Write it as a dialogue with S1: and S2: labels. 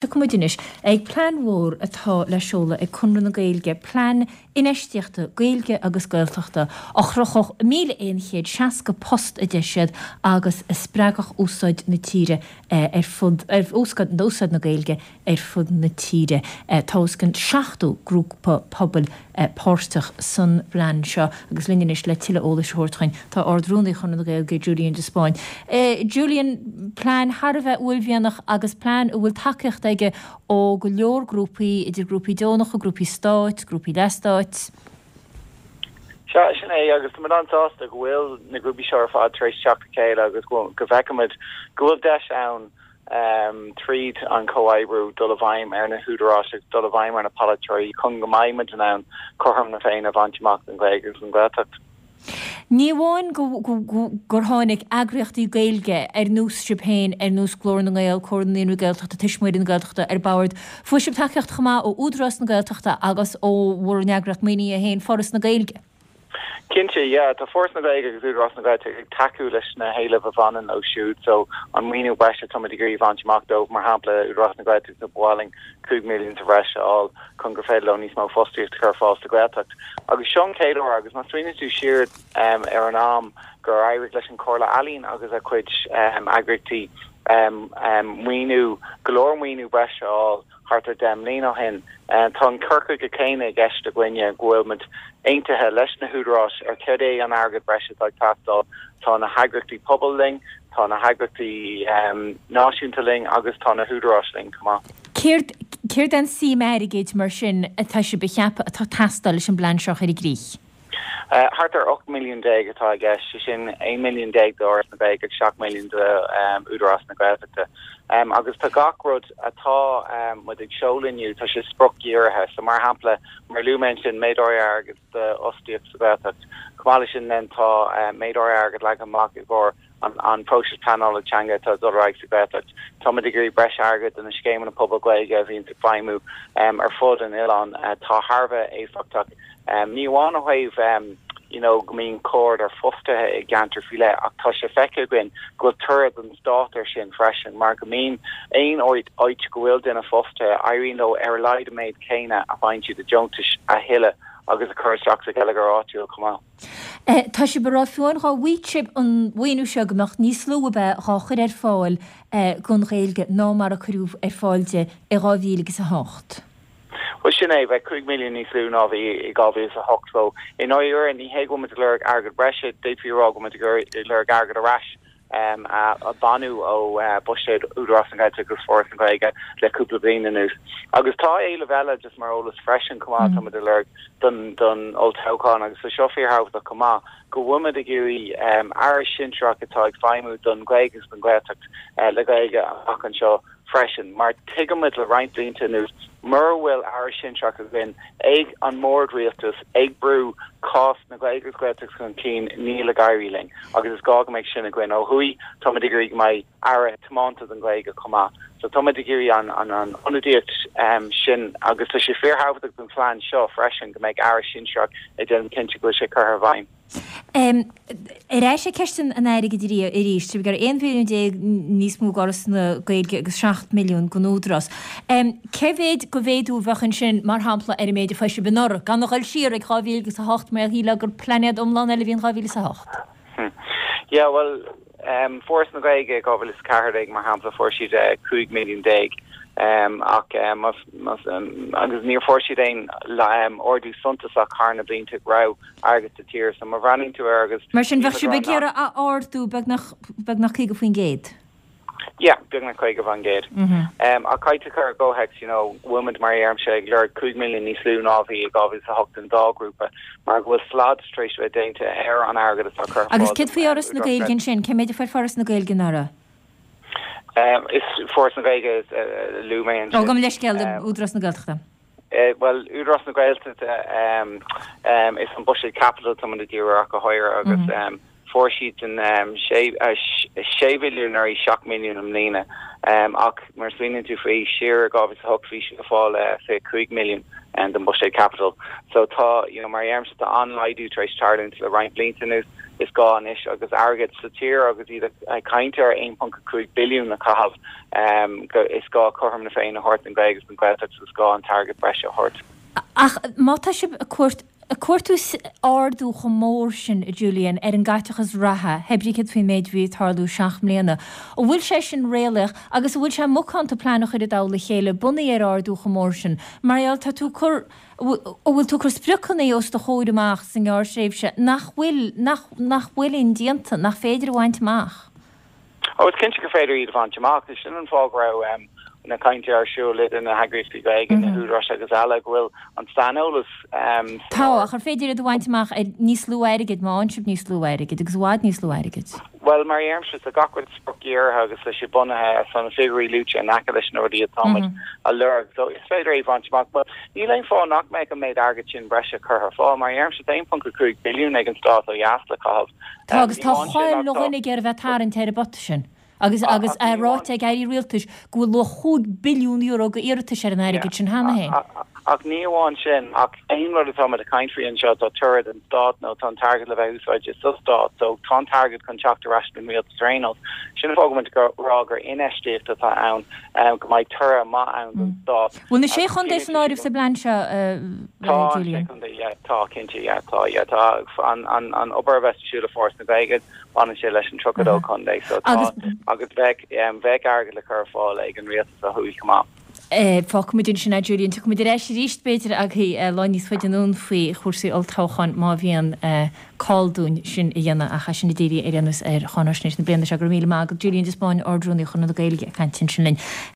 S1: Tiocfaidh muid anois ag plean mhór atá le seoladh ag Conradh na Gaeilge, plean infheistíochta Gaeilge agus Gaeltachta a chruthódh 1,160 post a deir siad agus a spreagfadh úsáid na tíre ar fud, úsáid na Gaeilge ar fud na tíre. Tá os cionn 70 grúpa pobail páirteach san bplean seo agus linn anois le tuilleadh eolais a thabhairt dhuinn tá Ard-Rúnaí Chonradh na Gaeilge, Julian de Spáinn. Julian, plean thar a bheith uaillmhianach agus plean a bhfuil tacaíocht aige ó go leor grúpaí, idir grúpaí deonacha, grúpaí stáit, grúpaí leathstáit.
S2: Sea, sin é, agus tá muid an-sásta go bhfuil na grúpaí seo ar fad tar éis teacht le chéile agus go bhfeicimid go bhfuil deis ann tríd an chomhoibriú dul i bhfeidhm ar na húdaráis agus dul i bhfeidhm ar na polaiteoirí chun go mbeidh muid in ann cothrom na Féinne a bhaint amach don Ghaeilge agus don Ghaeltacht.
S1: Ní amháin gur tháinig eagraíochtaí Gaeilge ar nós sibh féin, ar nós Glór na nGael, Comhar na Naíonraí Gaeltachta, Tuismitheoirí na Gaeltachta ar bord, fuair sibh tacaíocht chomh maith ó Údarás na Gaeltachta agus ó bhur n-eagraíocht maoinithe féin, Foras na Gaeilge.
S2: Cinnte, yeah. Tá Foras na Gaeilge agus Údarás na Gaeltachta ag tacú leis na héilimh a bhaineann leo siúd, so an maoiniú breise atá muid ag iarraidh a bhaint amach dóibh, mar shampla, Údarás na Gaeltachta, ba mhaith linn 5 milliún sa bhreis a fháil chun gur féidir leo níos mó fostaíocht a chur ar fáil sa Ghaeltacht. Agus seo an chéad uair, agus má smaoiníonn tú siar ar an am gur éirigh leis an Chomhairle Ealaíon agus a cuid eagraíochtaí maoiniú, go leor maoiniú breise a fháil, thart ar 10 mbliana ó shin. Tá an cur chuige céanna i gceist againne, go bhfuil muid aontaithe leis na húdaráis ar céard é an airgead breise atá ag teastáil. Tá na heagraíochtaí pobail linn, tá na heagraíochtaí náisiúnta linn agus tá na húdaráis linn chomh maith.
S1: Céard, céard é an suim airgid mar sin atá sibh a cheapadh atá ag teastáil leis an bplean seo a chur i gcrích?
S2: Thart ar 18 milliún atá i gceist, sé sin 11 milliún d'Fhoras na Gaeilge agus 7 milliún d'Údarás na Gaeltachta. Agus tá gach rud atá muid ag seoladh inniu, tá sé spriocdhírithe. So mar shampla, mar a luaigh mé ansin, méid áirithe airgid d'fhostaíocht sa Ghaeltacht. Chomh maith leis sin then tá méid áirithe airgid leagtha amach i gcomhair an próiseas pleanála teanga atá ag dul ar aghaidh sa Ghaeltacht. Táimid ag iarraidh breis airgid do na scéimeanna pobail Gaeilge a bhíonn ag feidhmiú ar fud an oileáin atá thar a bheith éifeachtach, ní amháin ó thaobh you know go mbíonn comhordaitheoir fostaithe i gceantar faoi leith ach tá sé feicthe againn go bhfuil toradh don stát air sin freisin mar go mbíonn aon áit go bhfuil duine fostaithe, éiríonn leo ar a laghad an méid céanna a faigheann siad i deontais a thuilleadh agus a chur isteach sa gheilleagar áitiúil chomh maith.
S1: Tá sibh ag rá fiú amháin dhá bhfaigheadh sibh an mhaoiniú seo go mbeadh níos lú a bheadh dhá chur ar fáil don Ghaeilge ná mar a cuireadh ar fáil di i 2008.
S2: Bhuel sin é, bheadh 5 milliún níos lú ná a bhí i 2008 so i ndáiríre ní hé go bhfuil muid ag lorg airgead breise, d'fhéadfaí a rá go bhfuil muid ag lorg airgead ar ais. a baineadh ó bhuiséad Údarás na Gaeltachta agus Foras na Gaeilge le cúpla bliain anuas. Agus tá éileamh eile, just mar eolas freisin chomh maith, tá muid ag lorg don don olltoghchán agus tá seo fíorthábhachtach chomh maith, go bhfuil muid ag iarraidh aire sinsearach atá ag feidhmiú don Ghaeilge agus don Ghaeltacht le Gaeilge amach anseo freisin, mar tuigimid le roinnt blianta anuas, mura bhfuil aire sinsearach againn ag an mbord rialtais ag brú cás na Gaeilge agus Gaeltachta chun cinn, níl ag éirí linn agus is gá go mbeidh sin againn. Ó thuaidh, táimid ag iarraidh go mbeidh aire tiomanta don Ghaeilge chomh maith. So táimid ag iarraidh an an ionadaíocht sin agus tá sé fíorthábhachtach don phlean seo freisin go mbeidh aire sinsearach ag déanamh cinnte go bhfuil sé curtha i bhfeidhm.
S1: Ar ais ag ceist an airgid arís, tá sibh ag iarraidh 11 mhilliún níos mó d'Fhoras na Gaeilge agus 7 milliún don Údarás. Cé mhéid de mhéadú a bheadh ansin, mar shampla, ar an méid a fuair sibh anuraidh, gan a dhul siar ag 2008 mar shílfeá gur plainéad iomlán eile a bhí in 2008?
S2: Yeah, bhuel, Foras na Gaeilge i 2014, mar shampla, fuair siad 15 milliún ach agus níor fuair siad aon ardú suntasach thar na blianta go raibh airgead sa tír. So má bhreathnaíonn tú air agus.
S1: Mar sin, bheadh sibh ag iarraidh a ardú beagnach, beagnach 50%?
S2: Yeah, beagnach 50%. Ach caithfidh tú cur i gcomhthéacs, you know, bhfuil muid, mar a deirimse, ag lorg 5 milliún níos lú ná a bhí i 2008 don dá ghrúpa, mar go bhfuil slad tar éis a bheith déanta ar an airgead atá curtha ar fáil
S1: Agus céard faoi Fhoras na Gaeilge ansin? Cé méid a fuair Foras na Gaeilge anuraidh?
S2: Is Foras na Gaeilge a luaigh mé ansin.
S1: Ó, gabh mo leithscéal, Údarás na Gaeltachta.
S2: Bhuel, Údarás na Gaeltachta, is an buiséad caipitil atá muid ag díriú air ach go háirithe agus fuair siadsan 6 mhilliún anuraidh, 7 milliún i mbliana. Ach mar a smaoiníonn tú faoi, siar i 2008 bhí siad ag fáil 25 milliún den buiséad caipitil. So tá, you know, mar a deirimse, tá an-laghdú tar éis tarlúint le roinnt blianta anuas. Is gá anois agus airgead sa tír agus iad ag caint ar 1.5 billiún a chaitheamh go is gá cothrom na Féinne a thabhairt don Ghaeilge agus don Ghaeltacht so is gá an t-airgead breise a thabhairt.
S1: Ach má tá sibh ag cuairt ag cuartú ardú chomh mór sin, a Julian, ar an gcaiteachas reatha, hé brí céard faoin méid a bhí ag tarlú 7 mbliana, an bhfuil sé sin réalaíoch agus an bhfuil sé macánta plean a chur i dtoll a chéile bunaithe ar ardú chomh mór sin? Mar gheall, tá tú ag cur An bhfuil tú ag cur spriocanna os do chomhair amach sa ngearrthréimhse nach bhfuil, nach, nach bhfuil indéanta, nach féidir a bhaint amach?
S2: Ó, is cinnte gur féidir iad a bhaint amach. Sin an fáth go raibh na cainteanna ar siúl idir na heagraíochtaí Gaeilge, na húdaráis agus eile, go bhfuil an saineolas
S1: san Tá, ach ar féidir iad a bhaint amach ar níos lú airgid, má fhaigheann sibh níos lú airgid, agus i bhfad níos lú airgid?
S2: Bhuel, mar a deirimse, tá gach rud spriocdhírithe agus tá sé bunaithe ar na figiúirí luaite in aice leis na rudaí atáimid a lorg. So is féidir é a bhaint amach. But níl aon fáth nach mbeadh an méid airgid sin breise curtha ar fáil. Mar a deirimse, tá 1.5 billiún ag an stát ó dheas le caitheamh.
S1: Tá, agus tá chuile dhuine ag iarraidh a bheith ag tarraingt ar an bpota sin. Agus agus é ráite ag airí rialtais go bhfuil luach €5 billiún d'iarratais ar an airgead sin cheana féin.
S2: Ach ní amháin sin, ach aon rud atá muid ag caint faoi anseo, tá toradh don stát nó tá an t-airgead le bheith úsáidte sa stát, so tá an t-airgead chun teacht ar ais don rialtas ar aon nós. Sin an fáth go bhfuil muid ag rá gur infheistíocht atá ann, go mbeidh toradh maith ann don stát.
S1: Bhfuil na Sé Chontae san áireamh sa bplean seo,
S2: Tá, an Sé Chontae, yeah, tá, cinnte, yeah, tá, yeah, tá an obair a bheas ar siúl le Foras na Gaeilge, Baineann sé leis an 32 contae so tá agus bheadh bheadh airgead le cur ar fáil ag an rialtas ó thuaidh chomh maith.
S1: Fágfaimid ansin é Julian. Tiocfaimid ar ais arís b'fhéidir agaibh lá níos faide anonn faoi chúrsaí olltoghcháin má bhíonn call dúinn sin a dhéanamh ach é sin a dírí ar aon nós ar cháinaisnéis na bliana seo. Go raibh míle maith agat Julian de Spáinn, Ard-Rúnaí Chonradh na Gaeilge ag caint ansin linn.